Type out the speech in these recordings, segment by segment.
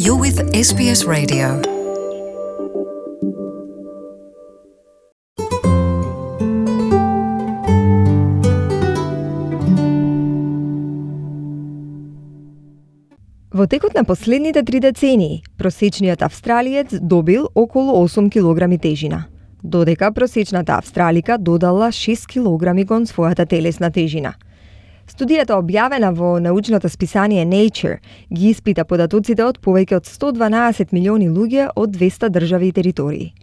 You're with SBS Radio. Во текот на последните 3 децении, просечниот австралиец добил околу 8 килограми тежина, додека просечната австралика додала 6 килограми кон својата телесна тежина. Студијата објавена во научното списание Nature ги испита податоците од повеќе од 112 милиони луѓе од 200 држави и територии.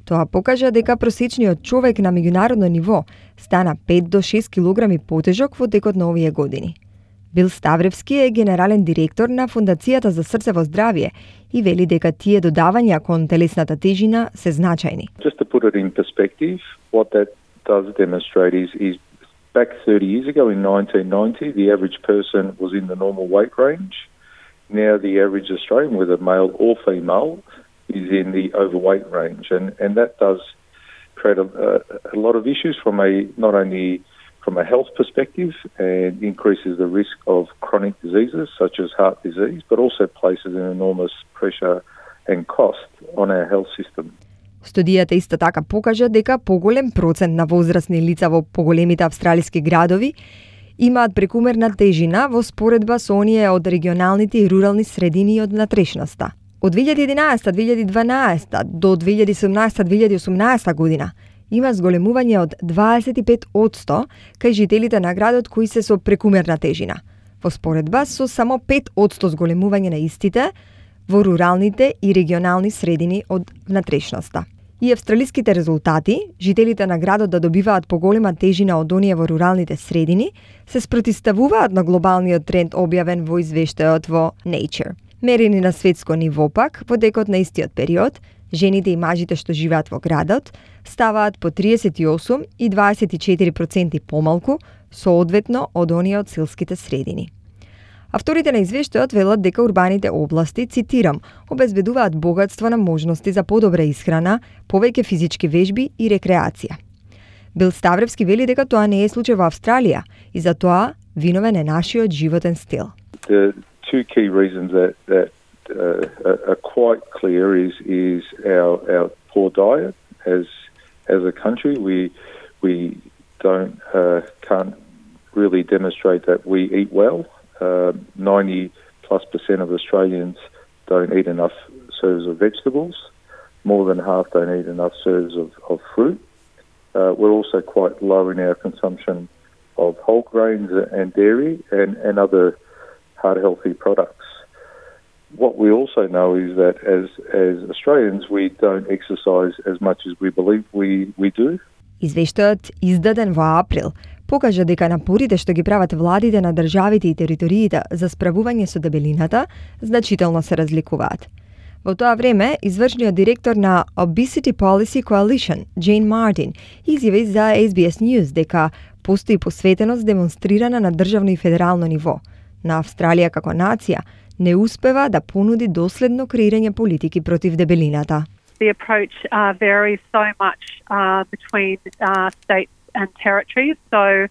Тоа покажа дека просечниот човек на меѓународно ниво стана 5 до 6 килограми потежок во текот на овие години. Бил Ставревски е генерален директор на Фондацијата за срцево здравје и вели дека тие додавања кон телесната тежина се значајни. Just to put it in perspective, what that does demonstrate is back 30 years ago in 1990, the average person was in the normal weight range. Now the average Australian, whether male or female, is in the overweight range. And that does create a lot of issues from not only from a health perspective and increases the risk of chronic diseases such as heart disease, but also places an enormous pressure and cost on our health system. Студијата исто така покажа дека поголем процент на возрастни лица во поголемите австралиски градови имаат прекумерна тежина во споредба со оние од регионалните и рурални средини од внатрешноста. Од 2011-2012 до 2017-2018 година има зголемување од 25% кај жителите на градот кои се со прекумерна тежина, во споредба со само 5% зголемување на истите во руралните и регионални средини од внатрешноста. И австралиските резултати, жителите на градот да добиваат поголема тежина од оние во руралните средини, се спротивставуваат на глобалниот тренд објавен во извештајот во Nature. Мерени на светско ниво пак, во текот на истиот период, жените и мажите што живеат во градот ставаат по 38 и 24% помалку, соодветно од оние од селските средини. Авторите на извештајот велат дека урбаните области, цитирам, обезбедуваат богатство на можности за подобра исхрана, повеќе физички вежби и рекреација. Бил Ставревски вели дека тоа не е случај во Австралија и за тоа виновен е нашиот животен стил. The two key reasons that are quite clear is our poor diet as a country. We can't really demonstrate that we eat well. 90+% of Australians don't eat enough serves of vegetables. More than half don't eat enough serves of fruit. We're also quite low in our consumption of whole grains and dairy and other heart healthy products. What we also know is that as Australians we don't exercise as much as we believe we do. Извештајот издаден во април покажа дека напорите што ги прават владите на државите и териториите за справување со дебелината значително се разликуваат. Во тоа време, извршниот директор на Obesity Policy Coalition, Jane Martin, изјави за SBS News дека постои посветеност демонстрирана на државно и федерално ниво. На Австралија како нација не успева да понуди доследно креирање политики против дебелината. The approach varies so much between states and territories. So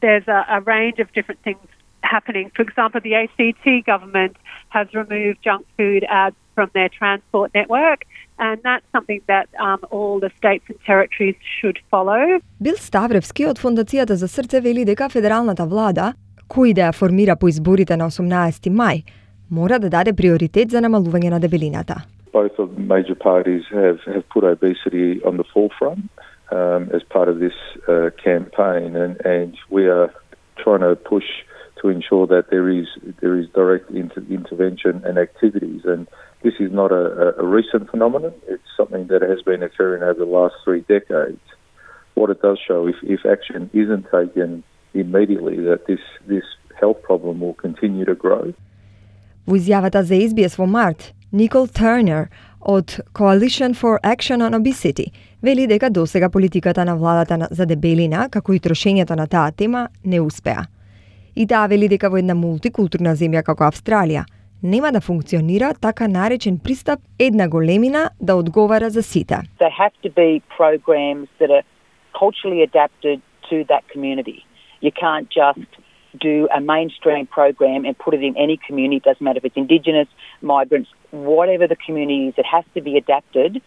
there's a range of different things happening. For example, the ACT government has removed junk food ads from their transport network, and that's something that all the states and territories should follow. Бил Ставревски од Фондацијата за срце вели дека федералната влада, кој да ја формира по изборите на 18 мај, мора да даде приоритет за намалување на дебелината. Both of the major parties have put obesity on the forefront as part of this campaign, and we are trying to push to ensure that there is direct intervention and activities. And this is not a recent phenomenon. It's something that has been occurring over the last 3 decades. What it does show, if action isn't taken immediately, that this health problem will continue to grow. Во изјавата за SBS во март, Никол Тернер од Coalition for Action on Obesity вели дека досега политиката на владата за дебелина, како и трошењето на таа тема, не успеа. И таа вели дека во една мултикултурна земја како Австралија нема да функционира така наречен пристап една големина да одговара за сите. They have to be programs that are culturally adapted to that community. You can't just do a mainstream program and put it in any community, it doesn't matter if it's Indigenous, migrants, whatever the community is, it has to be adapted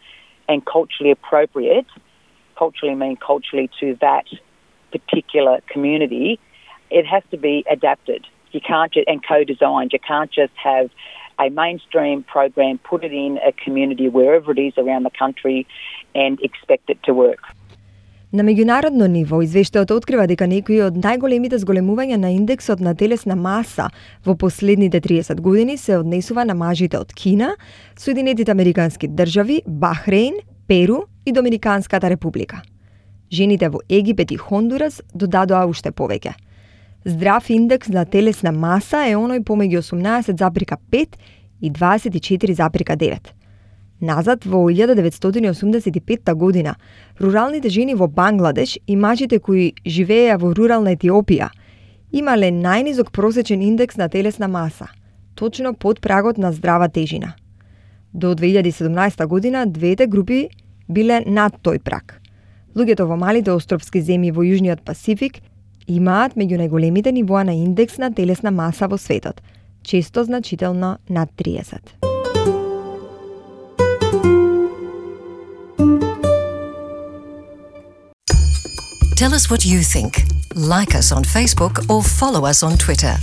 and culturally appropriate, culturally to that particular community. It has to be adapted. You can't and co-designed. You can't just have a mainstream program, put it in a community wherever it is around the country and expect it to work. На меѓународно ниво, извештајот открива дека некои од најголемите зголемувања на индексот на телесна маса во последните 30 години се однесува на мажите од Кина, Соединетите Американски држави, Бахрейн, Перу и Доминиканската република. Жените во Египет и Хондурас додадоа уште повеќе. Здрав индекс на телесна маса е оној помеѓу 18,5 и 24,9. Назад во 1985 година, руралните жени во Бангладеш и мажите кои живееа во рурална Етиопија имале најнизок просечен индекс на телесна маса, точно под прагот на здрава тежина. До 2017 година двете групи биле над тој праг. Луѓето во малите островски земји во Јужниот Пасифик имаат меѓу најголемите нивоа на индекс на телесна маса во светот, често значително над 30. Tell us what you think. Like us on Facebook or follow us on Twitter.